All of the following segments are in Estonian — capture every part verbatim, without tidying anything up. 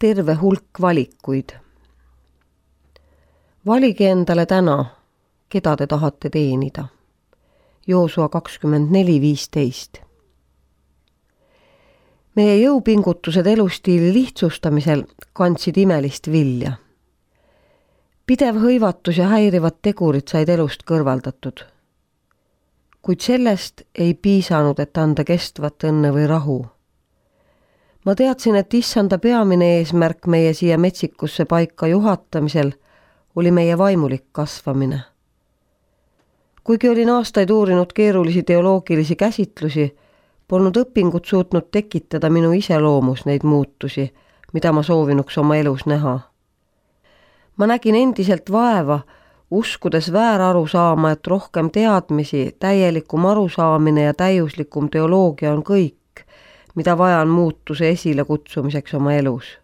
terve hulk valikuid. Valige endale täna, keda te tahate teenida. Joosua kakskümmend neli viisteist. Meie jõupingutused elustiili lihtsustamisel kandsid imelist vilja. Pidev hõivatus ja häirivad tegurid said elust kõrvaldatud. Kuid sellest ei piisanud, et anda kestvat õnne või rahu. Ma teadsin, et issanda peamine eesmärk meie siia metsikusse paika juhatamisel oli meie vaimulik kasvamine. Kuigi olin aastaid uurinud keerulisi teoloogilisi käsitlusi, polnud õpingud suutnud tekitada minu iseloomus neid muutusi, mida ma soovinuks oma elus näha. Ma nägin endiselt vaeva, uskudes vääraru saama, et rohkem teadmisi, täielikum arusaamine ja täiuslikum teoloogia on kõik, mida vajan muutuse esile kutsumiseks oma elus.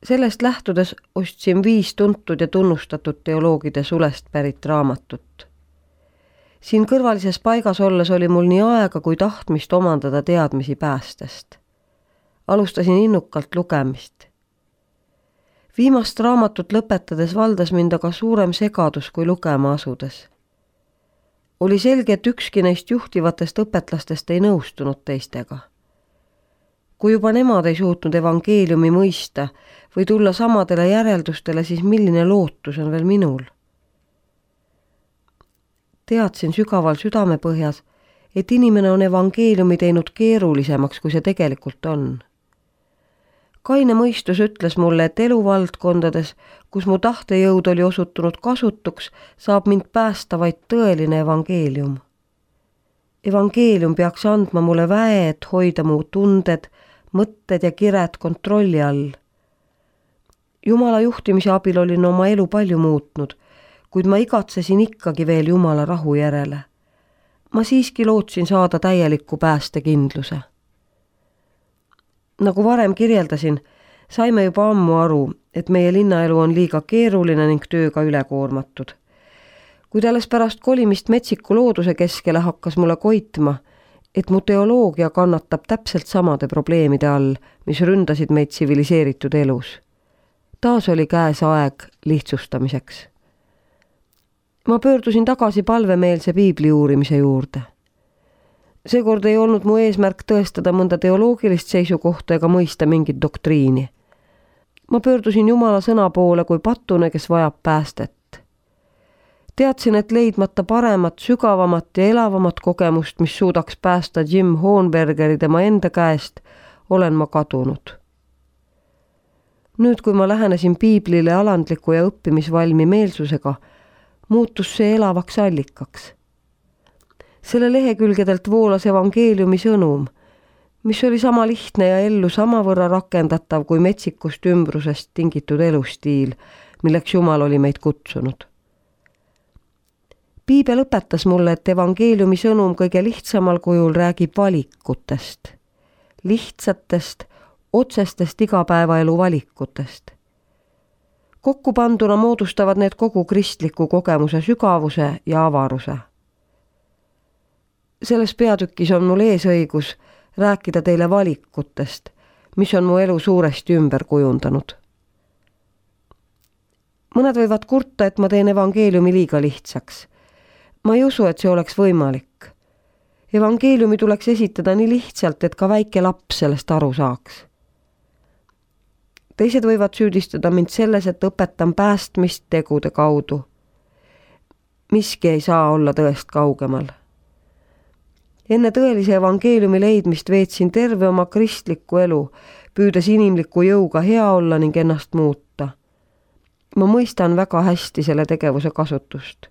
Sellest lähtudes ostsin viis tuntud ja tunnustatud teoloogide sulest pärit raamatut. Siin kõrvalises paigas olles oli mul nii aega kui tahtmist omandada teadmisi päästest. Alustasin innukalt lugemist. Viimast raamatut lõpetades valdas mind aga suurem segadus kui lugema asudes. Oli selge, et ükski neist juhtivatest õpetlastest ei nõustunud teistega. Kui juba nemad ei suutnud evangeeliumi mõista või tulla samadele järeldustele, siis milline lootus on veel minul? Teadsin sügaval südamepõhjas, et inimene on evangeeliumi teinud keerulisemaks, kui see tegelikult on. Kaine mõistus ütles mulle, et eluvaldkondades, kus mu tahtejõud oli osutunud kasutuks, saab mind päästa vaid tõeline evangeelium. Evangeelium peaks andma mulle väe, et hoida mu tunded, mõtted ja kired kontrolli all. Jumala juhtimise abil olin oma elu palju muutnud, kuid ma igatsesin ikkagi veel Jumala rahu järele. Ma siiski lootsin saada täieliku päästekindluse. Nagu varem kirjeldasin, saime juba ammu aru, et meie linnaelu on liiga keeruline ning tööga ülekoormatud. Kuid alles pärast kolimist metsiku looduse keskele hakkas mulle koitma, et mu teoloogia kannatab täpselt samade probleemide all, mis ründasid meid tsiviliseeritud elus. Taas oli käes aeg lihtsustamiseks. Ma pöördusin tagasi palvemeelse piibli uurimise juurde. Seekord ei olnud mu eesmärk tõestada mõnda teoloogilist seisukohta ega mõista mingit doktriini. Ma pöördusin Jumala sõna poole kui patune, kes vajab päästet. Teadsin, et leidmata paremat, sügavamat ja elavamat kogemust, mis suudaks päästa Jim Hohenbergeri tema enda käest, olen ma kadunud. Nüüd, kui ma lähenesin piiblile alandliku ja õppimisvalmi meelsusega, muutus see elavaks allikaks. Selle lehekülgedelt voolas evangeeliumi sõnum, mis oli sama lihtne ja ellu samavõrra rakendatav kui metsikust ümbrusest tingitud elustiil, milleks Jumal oli meid kutsunud. Piibel õpetas mulle, et evangeeliumi sõnum kõige lihtsamal kujul räägib valikutest, lihtsatest, otsestest igapäevaelu valikutest. Kokkupanduna moodustavad need kogu kristliku kogemuse sügavuse ja avaruse. Selles peatükis on mul eesõigus rääkida teile valikutest, mis on mu elu suuresti ümber kujundanud. Mõned võivad kurta, et ma teen evangeeliumi liiga lihtsaks. Ma ei usu, et see oleks võimalik. Evangeeliumi tuleks esitada nii lihtsalt, et ka väike laps sellest aru saaks. Teised võivad süüdistada mind selles, et õpetan päästmist tegude kaudu. Miski ei saa olla tõest kaugemal. Enne tõelise evangeeliumi leidmist veetsin terve oma kristlikku elu, püüdes inimliku jõuga hea olla ning ennast muuta. Ma mõistan väga hästi selle tegevuse kasutust.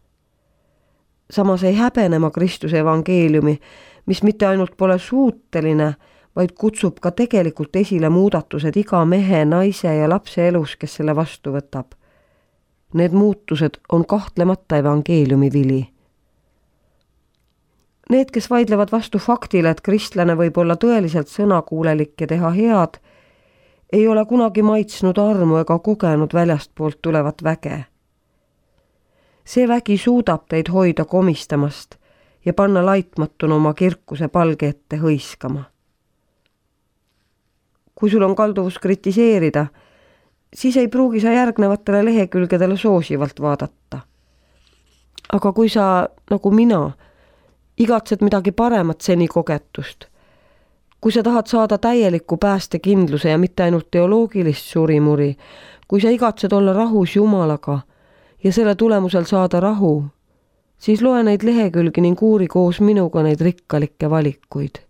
Samas ei häbene ma Kristuse evangeeliumi, mis mitte ainult pole suuteline, vaid kutsub ka tegelikult esile muudatused iga mehe, naise ja lapse elus, kes selle vastu võtab. Need muutused on kahtlemata evangeeliumi vili. Need, kes vaidlevad vastu faktile, et kristlane võib olla tõeliselt sõnakuulelik ja teha head, ei ole kunagi maitsnud armu ega kogenud väljastpoolt tulevat väge. See vägi suudab teid hoida komistamast ja panna laitmatuna oma kirkuse palge ette hõiskama. kui sul on kalduvus kritiseerida, siis ei pruugi sa järgnevatele lehekülgedele soosivalt vaadata. Aga kui sa, nagu mina, igatsed midagi paremat seni kogetust, kui sa tahad saada täieliku päästekindluse ja mitte ainult teoloogilist surimuri, kui sa igatsed olla rahus Jumalaga ja selle tulemusel saada rahu, siis loe neid lehekülgi ning uuri koos minuga neid rikkalikke valikuid.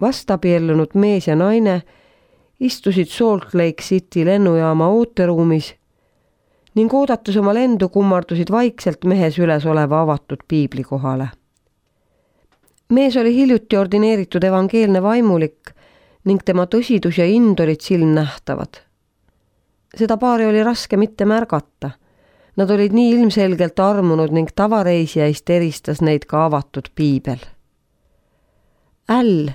Vastabiellunud mees ja naine istusid Salt Lake City lennujaama ooteruumis ning oodates oma lendu kummardusid vaikselt mehes üles oleva avatud piibli kohale. Mees oli hiljuti ordineeritud evangeelne vaimulik ning tema tõsidus ja ind olid silmnähtavad. Seda paari oli raske mitte märgata. Nad olid nii ilmselgelt armunud ning tavareisijaist eristas neid ka avatud piibel. Äll,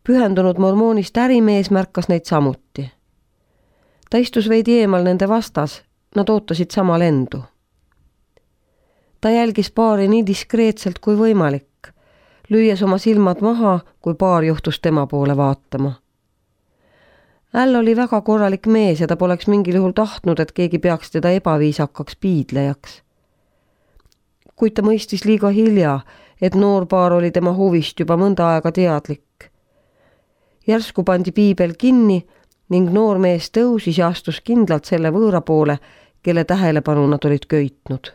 pühendunud mormoonist ärimees, märkas neid samuti. Ta istus veidi eemal nende vastas, nad ootasid sama lendu. Ta jälgis paari nii diskreetselt kui võimalik, lüües oma silmad maha, kui paar juhtus tema poole vaatama. Äll oli väga korralik mees ja ta poleks mingil juhul tahtnud, et keegi peaks teda ebaviisakaks piidlejaks. Kuid ta mõistis liiga hilja, et noor paar oli tema huvist juba mõnda aega teadlik. Järsku pandi piibel kinni ning noor mees tõusis ja astus kindlalt selle võõra poole, kelle tähelepanu nad olid köitnud.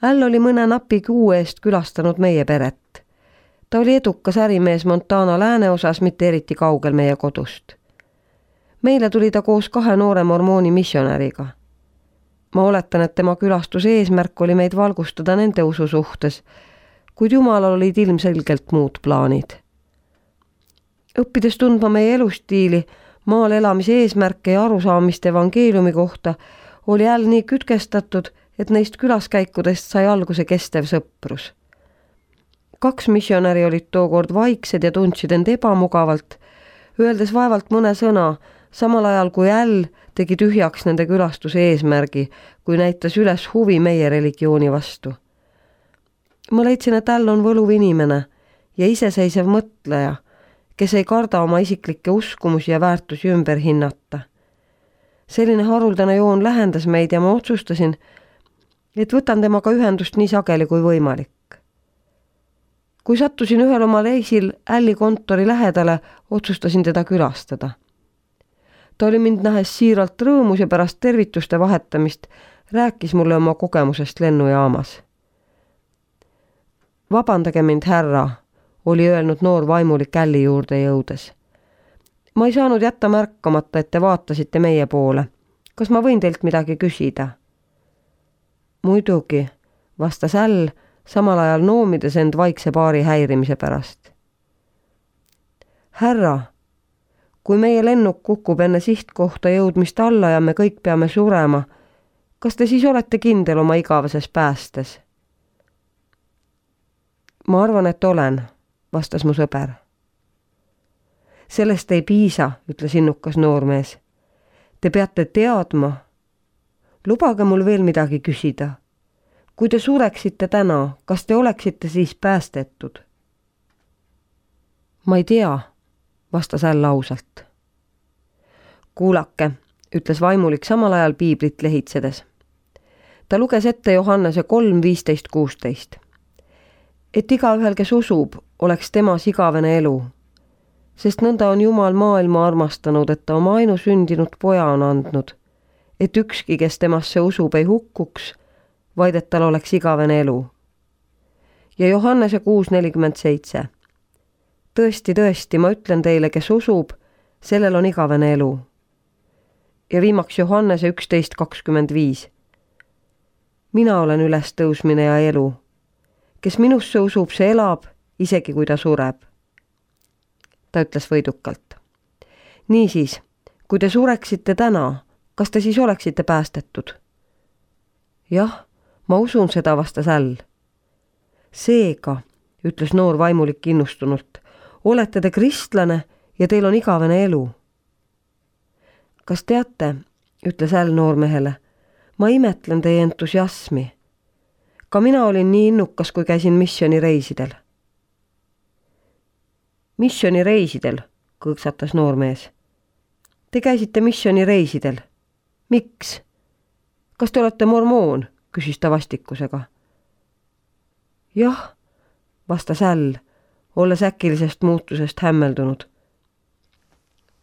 Äll oli mõne napi kuu eest külastanud meie peret. Ta oli edukas ärimees Montana lääneosas, mitte eriti kaugel meie kodust. Meile tuli ta koos kahe noore mormooni missionäriga. Ma oletan, et tema külastuse eesmärk oli meid valgustada nende usu suhtes, kuid Jumalal olid ilmselgelt muud plaanid. Õppides tundma meie elustiili, maal elamise eesmärke ja arusaamist evangeeliumi kohta, oli Äll nii kütkestatud, et neist külaskäikudest sai alguse kestev sõprus. Kaks missionäri olid tookord vaiksed ja tundsid end ebamugavalt, öeldes vaevalt mõne sõna, samal ajal kui Äll tegi tühjaks nende külastuse eesmärgi, kui näitas üles huvi meie religiooni vastu. Ma leidsin, et Äll on võluv inimene ja iseseisev mõtleja, kes ei karda oma isiklikke uskumusi ja väärtusi ümber hinnata. Selline haruldane joon lähendas meid ja ma otsustasin, et võtan temaga ühendust nii sageli kui võimalik. Kui sattusin ühel oma reisil Älli kontori lähedale, otsustasin teda külastada. Ta oli mind nähes siiralt rõõmus ja pärast tervituste vahetamist rääkis mulle oma kogemusest lennujaamas. Vabandage mind, härra, oli öelnud noor vaimulik Älli juurde jõudes. Ma ei saanud jätta märkamata, et te vaatasite meie poole. Kas ma võin teilt midagi küsida? Muidugi, vastas Äll, samal ajal noomides end vaikse paari häirimise pärast. Härra, kui meie lennuk kukub enne sihtkohta jõudmist alla ja me kõik peame surema, kas te siis olete kindel oma igaveses päästes? Ma arvan, et olen, vastas mu sõber. Sellest ei piisa, ütles innukas noormees. Te peate teadma. Lubage mul veel midagi küsida. Kui te sureksite täna, kas te oleksite siis päästetud? Ma ei tea, vastas Äll ausalt. Kuulake, ütles vaimulik samal ajal piiblit lehitsedes. Ta luges ette Johannese kolm viisteist kuusteist. Et igaühel, kes usub, oleks temas igavene elu, sest nõnda on Jumal maailma armastanud, et ta oma ainusündinud poja on andnud, et ükski, kes temasse usub, ei hukkuks, vaid et tal oleks igavene elu. Ja Johannese kuus nelikümmend seitse. Tõesti, tõesti, ma ütlen teile, kes usub, sellel on igavene elu. Ja viimaks Johannese üksteist kakskümmend viis. Mina olen ülestõusmine ja elu. Kes minusse usub, see elab, isegi kui ta sureb. Ta ütles võidukalt. Niisiis, kui te sureksite täna, kas te siis oleksite päästetud? Jah, ma usun seda, vastas Äll. Seega, ütles noor vaimulik innustunult, olete te kristlane ja teil on igavene elu. Kas teate, ütles Äll noormehele, ma imetlen teie entusiasmi. Ka mina olin nii innukas, kui käisin missionireisidel. Missioonireisidel, kõksatas noormees. Te käisite missioonireisidel. Miks? Kas te olete mormoon? Küsis ta vastikusega. Jah, vastas Äll, olles äkilisest muutusest hämmeldunud.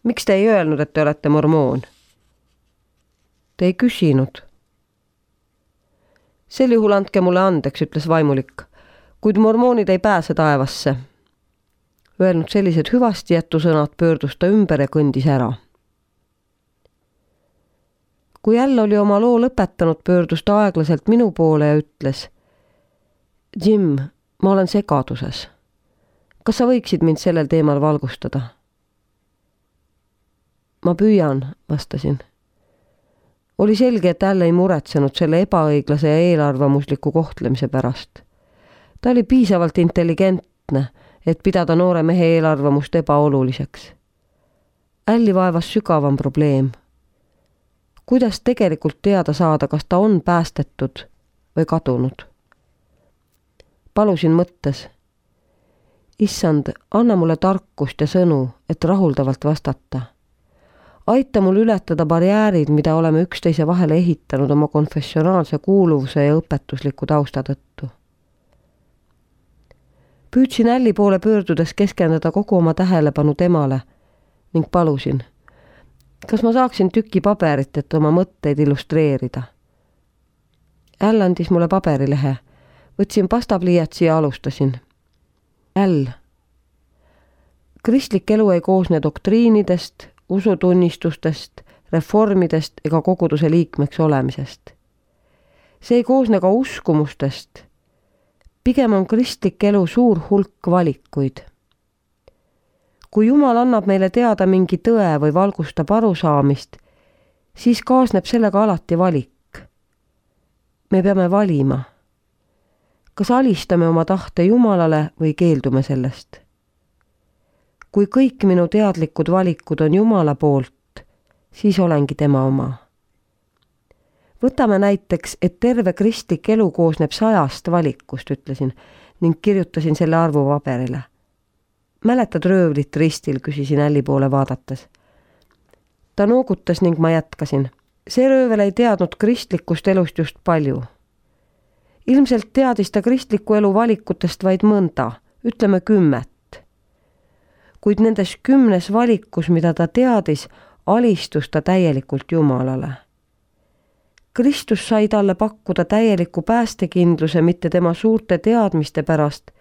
Miks te ei öelnud, et te olete mormoon? Te ei küsinud. Sel juhul andke mulle andeks, ütles vaimulik, kuid mormoonid ei pääse taevasse. Öelnud sellised hüvasti jätusõnad, pöördus ta ümber ja kõndis ära. Kui Äll oli oma loo lõpetanud, pöördus ta aeglaselt minu poole ja ütles: Jim, ma olen segaduses. Kas sa võiksid mind sellel teemal valgustada? Ma püüan, vastasin. Oli selge, et Äll ei muretsenud selle ebaõiglase ja eelarvamusliku kohtlemise pärast. Ta oli piisavalt intelligentne, et pidada noore mehe eelarvamust ebaoluliseks. Älli vaevas sügavam probleem. Kuidas tegelikult teada saada, kas ta on päästetud või kadunud? Palusin mõttes. Issand, anna mulle tarkust ja sõnu, et rahuldavalt vastata. Aita mul ületada barjäärid, mida oleme üksteise vahele ehitanud oma konfessionaalse kuuluvuse ja õpetusliku tausta tõttu. Püüdsin Älli poole pöördudes keskenduda kogu oma tähelepanu temale ning palusin, kas ma saaksin tüki paberit, et oma mõtteid illustreerida. Äll andis mulle paberilehe, võtsin pastapliiatsi ja alustasin. Äll. Kristlik elu ei koosne doktriinidest, usutunnistustest, reformidest ega koguduse liikmeks olemisest. See ei koosne ka uskumustest. Pigem on kristlik elu suur hulk valikuid. Kui Jumal annab meile teada mingi tõe või valgustab arusaamist, siis kaasneb sellega alati valik. Me peame valima. Kas alistame oma tahte Jumalale või keeldume sellest? Kui kõik minu teadlikud valikud on Jumala poolt, siis olengi tema oma. Võtame näiteks, et terve kristlik elu koosneb sajast valikust, ütlesin, ning kirjutasin selle arvu paberile. Mäletad röövlit ristil, küsisin Älli poole vaadates. Ta noogutas ning ma jätkasin. See röövel ei teadnud kristlikust elust just palju. Ilmselt teadis ta kristliku elu valikutest vaid mõnda, ütleme kümmet. Kuid nendes kümnes valikus, mida ta teadis, alistus ta täielikult Jumalale. Kristus sai talle pakkuda täieliku päästekindluse mitte tema suurte teadmiste pärast,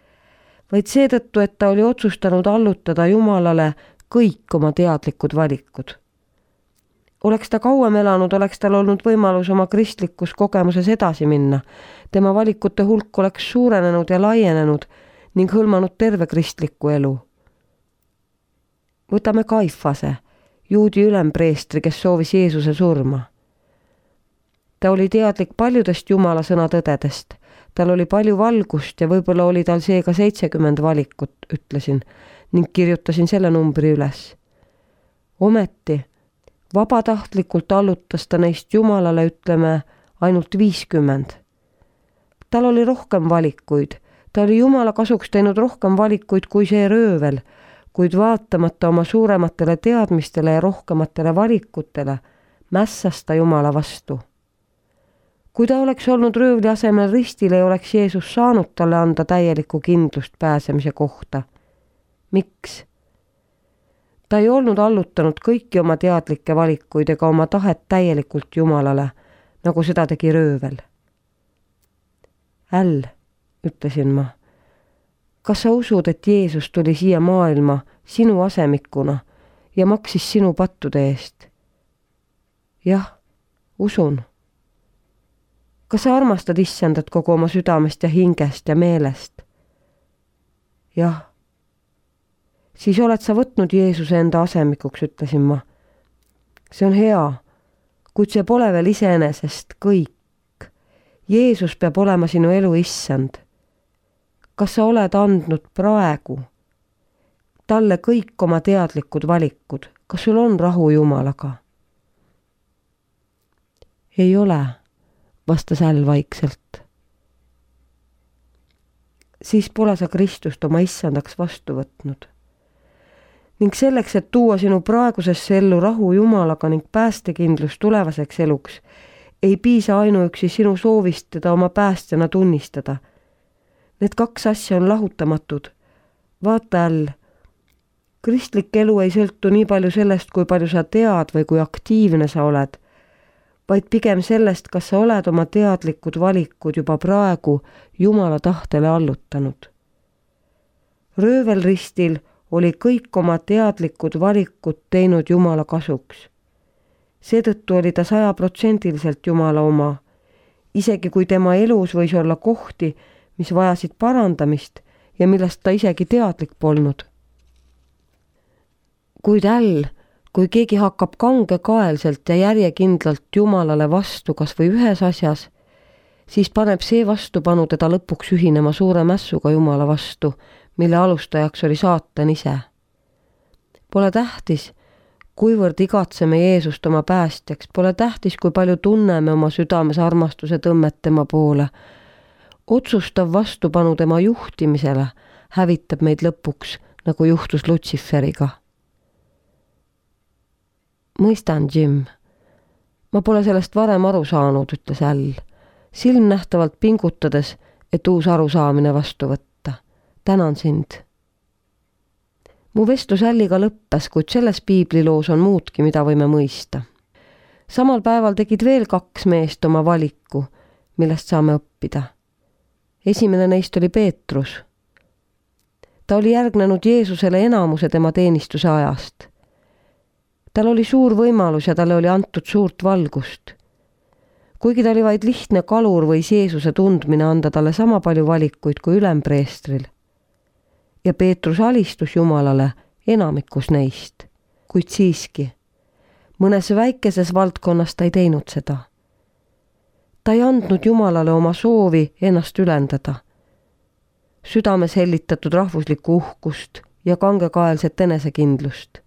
vaid seetõttu, et ta oli otsustanud allutada Jumalale kõik oma teadlikud valikud. Oleks ta kauem elanud, oleks tal olnud võimalus oma kristlikus kogemuses edasi minna. Tema valikute hulk oleks suurenenud ja laienenud ning hõlmanud terve kristliku elu. Võtame Kaifase, juudi ülempreestri, kes soovis Jeesuse surma. Ta oli teadlik paljudest Jumala sõna tõdedest. Tal oli palju valgust ja võib-olla oli tal seega seitsekümmend valikut, ütlesin, ning kirjutasin selle numbri üles. Ometi, vabatahtlikult allutas ta neist Jumalale, ütleme, ainult viiskümmend. Tal oli rohkem valikuid. Ta oli Jumala kasuks teinud rohkem valikuid kui see röövel, kuid vaatamata oma suurematele teadmistele ja rohkematele valikutele, mässas ta Jumala vastu. Kui ta oleks olnud röövli asemel ristil, ei oleks Jeesus saanud talle anda täielikku kindlust pääsemise kohta. Miks? Ta ei olnud allutanud kõiki oma teadlikke valikuid ega oma tahet täielikult Jumalale, nagu seda tegi röövel. Äll, ütlesin ma, kas sa usud, et Jeesus tuli siia maailma sinu asemikuna ja maksis sinu pattude eest? Jah, usun. Kas sa armastad Issandat kogu oma südamest ja hingest ja meelest? Jah. Siis oled sa võtnud Jeesuse enda asemikuks, ütlesin ma. See on hea, kuid see pole veel iseenesest kõik. Jeesus peab olema sinu elu Issand. Kas sa oled andnud praegu talle kõik oma teadlikud valikud? Kas sul on rahu Jumalaga? Ei ole, vastas Äll vaikselt. Siis pole sa Kristust oma Issandaks vastu võtnud. ning selleks, et tuua sinu praegusesse ellu rahu Jumalaga ning päästekindlus tulevaseks eluks, ei piisa ainuüksi sinu soovist teda oma päästjana tunnistada. Need kaks asja on lahutamatud. Vaata all, kristlik elu ei sõltu nii palju sellest, kui palju sa tead või kui aktiivne sa oled, vaid pigem sellest, kas sa oled oma teadlikud valikud juba praegu Jumala tahtele allutanud. Röövelristil oli kõik oma teadlikud valikud teinud Jumala kasuks. Seetõttu oli ta sajaprotsendiliselt Jumala oma, isegi kui tema elus võis olla kohti, mis vajasid parandamist ja millest ta isegi teadlik polnud. Kuid äll, kui keegi hakkab kangekaelselt ja järjekindlalt Jumalale vastu kas või ühes asjas, siis paneb see vastupanu teda lõpuks ühinema suure mässuga Jumala vastu, mille alustajaks oli saatan ise. Pole tähtis, kuivõrd igatseme Jeesust oma päästjaks, pole tähtis, kui palju tunneme oma südames armastuse tõmmet tema poole. Otsustav vastupanu tema juhtimisele hävitab meid lõpuks, nagu juhtus Lutsiferiga. Mõistan, Jim. Ma pole sellest varem aru saanud, ütles Äll, silmnähtavalt pingutades, et uus arusaamine vastu võtta. Tänan sind. Mu vestlus Älliga lõppes, kuid selles piibliloos on muudki, mida võime mõista. Samal päeval tegid veel kaks meest oma valiku, millest saame õppida. Esimene neist oli Peetrus. Ta oli järgnenud Jeesusele enamuse tema teenistuse ajast. Tal oli suur võimalus ja talle oli antud suurt valgust. Kuigi ta oli vaid lihtne kalur, võis Jeesuse tundmine anda talle sama palju valikuid kui ülempreestril. Ja Peetrus alistus Jumalale enamikus neist, kuid siiski, mõnes väikeses valdkonnas ta ei teinud seda. Ta ei andnud Jumalale oma soovi ennast ülendada. Südames hellitatud rahvuslikku uhkust ja kangekaelset enesekindlust.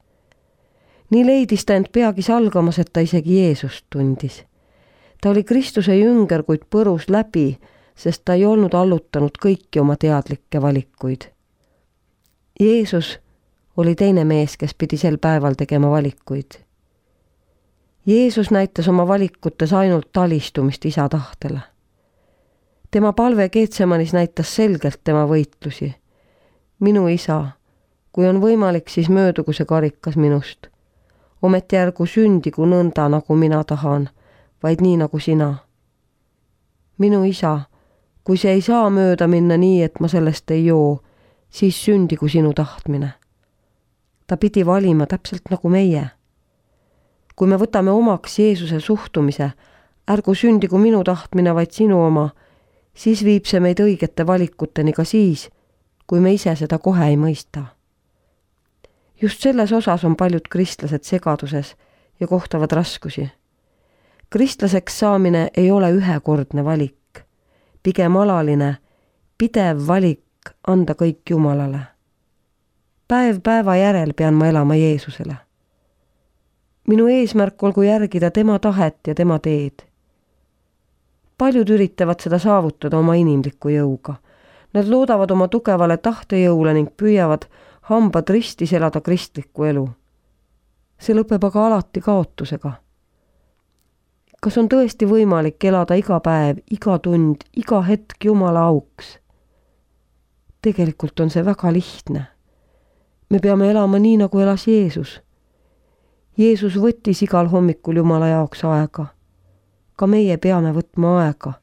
Nii leidis ta end peagi salgamas, et ta isegi Jeesust tundis. Ta oli Kristuse jünger, kuid põrus läbi, sest ta ei olnud allutanud kõiki oma teadlikke valikuid. Jeesus oli teine mees, kes pidi sel päeval tegema valikuid. Jeesus näitas oma valikutes ainult talistumist isa tahtele. Tema palve Geetsemanis näitas selgelt tema võitlusi. Minu isa, kui on võimalik, siis möödugu see karikas minust. Ometi ärgu sündigu nõnda, nagu mina tahan, vaid nii nagu sina. Minu isa, kui see ei saa mööda minna nii, et ma sellest ei joo, siis sündigu sinu tahtmine. Ta pidi valima täpselt nagu meie. Kui me võtame omaks Jeesuse suhtumise, ärgu sündigu minu tahtmine, vaid sinu oma, siis viib see meid õigete valikuteni ka siis, kui me ise seda kohe ei mõista. Just selles osas on paljud kristlased segaduses ja kohtavad raskusi. Kristlaseks saamine ei ole ühekordne valik, pigem alaline, pidev valik anda kõik Jumalale. Päev päeva järel pean ma elama Jeesusele. Minu eesmärk olgu järgida tema tahet ja tema teed. Paljud üritavad seda saavutada oma inimliku jõuga. Nad loodavad oma tugevale tahtejõule ning püüavad hambad ristis elada kristlikku elu. See lõpeb aga alati kaotusega. Kas on tõesti võimalik elada iga päev, iga tund, iga hetk Jumala auks? Tegelikult on see väga lihtne. Me peame elama nii, nagu elas Jeesus. Jeesus võttis igal hommikul Jumala jaoks aega. Ka meie peame võtma aega,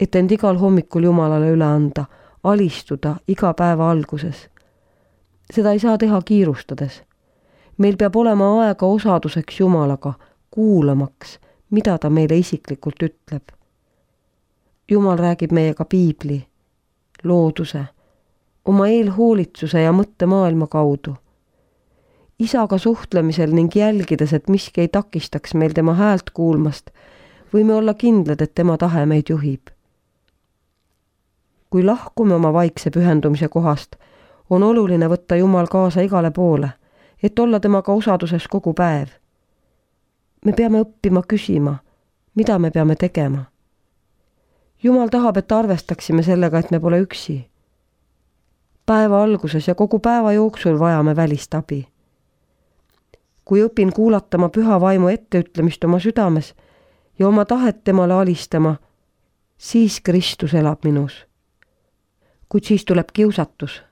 et end igal hommikul Jumalale üle anda, alistuda iga päeva alguses. Seda ei saa teha kiirustades. Meil peab olema aega osaduseks Jumalaga, kuulamaks, mida ta meile isiklikult ütleb. Jumal räägib meiega piibli, looduse, oma eelhoolitsuse ja mõttemaailma kaudu. Isaga suhtlemisel ning jälgides, et miski ei takistaks meil tema häält kuulmast, võime olla kindlad, et tema tahe meid juhib. Kui lahkume oma vaikse pühendumise kohast, on oluline võtta Jumal kaasa igale poole, et olla temaga osaduses kogu päev. Me peame õppima küsima, mida me peame tegema. Jumal tahab, et arvestaksime sellega, et me pole üksi. Päeva alguses ja kogu päeva jooksul vajame välist abi. kui õpin kuulatama püha vaimu etteütlemist oma südames ja oma tahet temale alistama, siis Kristus elab minus. Kuid siis tuleb kiusatus.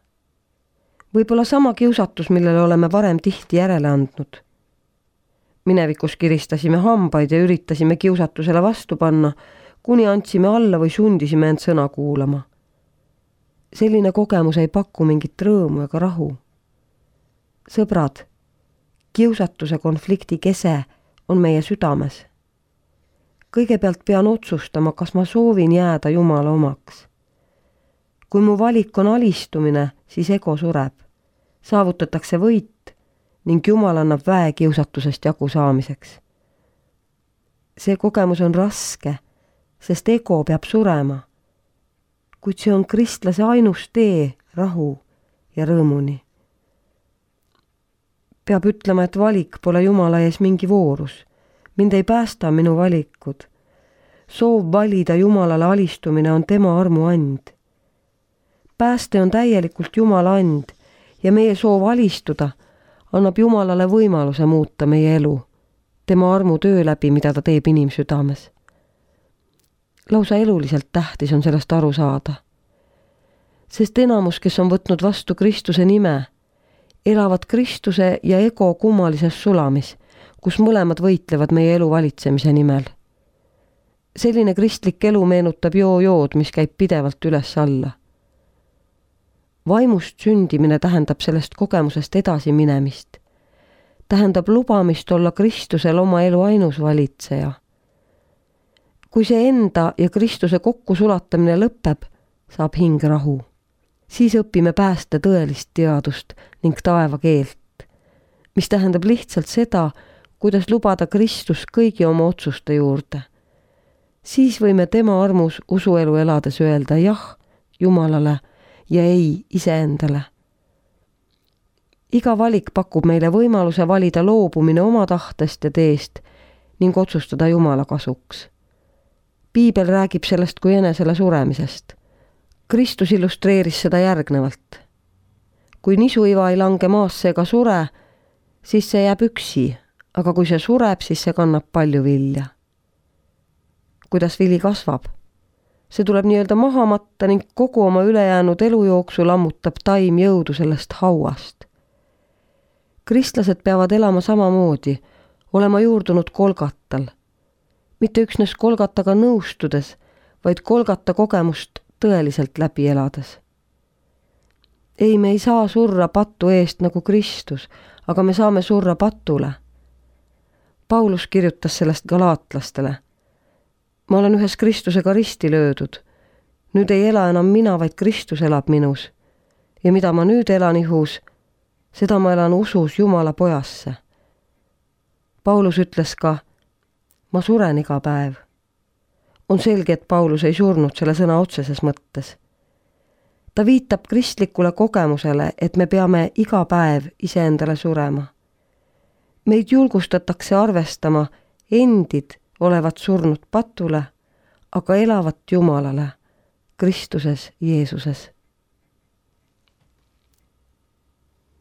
Võib-olla sama kiusatus, millele oleme varem tihti järele andnud. Minevikus kiristasime hambaid ja üritasime kiusatusele vastu panna, kuni andsime alla või sundisime end sõna kuulama. Selline kogemus ei paku mingit rõõmu ega rahu. Sõbrad, kiusatuse konflikti kese on meie südames. Kõigepealt pean otsustama, kas ma soovin jääda Jumala omaks. Kui mu valik on alistumine, siis ego sureb. Saavutatakse võit ning Jumal annab väe kiusatusest jagu saamiseks. See kogemus on raske, sest ego peab surema. Kuid see on kristlase ainus tee rahu ja rõõmuni. Peab ütlema, et valik pole Jumala ees mingi voorus. Mind ei päästa minu valikud. Soov valida Jumalale alistumine on tema armu and. Pääste on täielikult Jumala and ja meie soov alistuda annab Jumalale võimaluse muuta meie elu, tema armu töö läbi, mida ta teeb inimsüdames. Lausa eluliselt tähtis on sellest aru saada. Sest enamus, kes on võtnud vastu Kristuse nime, elavad Kristuse ja ego kummalises sulamis, kus mõlemad võitlevad meie elu valitsemise nimel. Selline kristlik elu meenutab joo-jood, mis käib pidevalt üles alla. Vaimust sündimine tähendab sellest kogemusest edasi minemist. Tähendab lubamist olla Kristusel oma elu ainus valitseja. Kui see enda ja Kristuse kokku sulatamine lõpeb, saab hing rahu. Siis õpime päästa tõelist teadust ning taeva keelt, mis tähendab lihtsalt seda, kuidas lubada Kristus kõigi oma otsuste juurde. Siis võime tema armus usuelu elades öelda jah Jumalale ja ei iseendale. Iga valik pakub meile võimaluse valida loobumine oma tahtest ja teest ning otsustada Jumala kasuks. Piibel räägib sellest kui enesele suremisest. Kristus illustreeris seda järgnevalt. Kui nisuiva ei lange maasse ega sure, siis see jääb üksi, aga kui see sureb, siis see kannab palju vilja. Kuidas vili kasvab? See tuleb nii-öelda maha matta ning kogu oma ülejäänud elujooksu lammutab taim jõudu sellest hauast. Kristlased peavad elama samamoodi, olema juurdunud Kolgatal. Mitte üksnes Kolgataga nõustudes, vaid Kolgata kogemust tõeliselt läbi elades. Ei, me ei saa surra patu eest nagu Kristus, aga me saame surra patule. Paulus kirjutas sellest galaatlastele. Ma olen ühes Kristusega risti löödud. Nüüd ei ela enam mina, vaid Kristus elab minus. Ja mida ma nüüd elan ihus, seda ma elan usus Jumala pojasse. Paulus ütles ka, ma suren iga päev. On selge, et Paulus ei surnud selle sõna otseses mõttes. Ta viitab kristlikule kogemusele, et me peame iga päev iseendale surema. Meid julgustatakse arvestama endid olevat surnud patule, aga elavat Jumalale, Kristuses Jeesuses.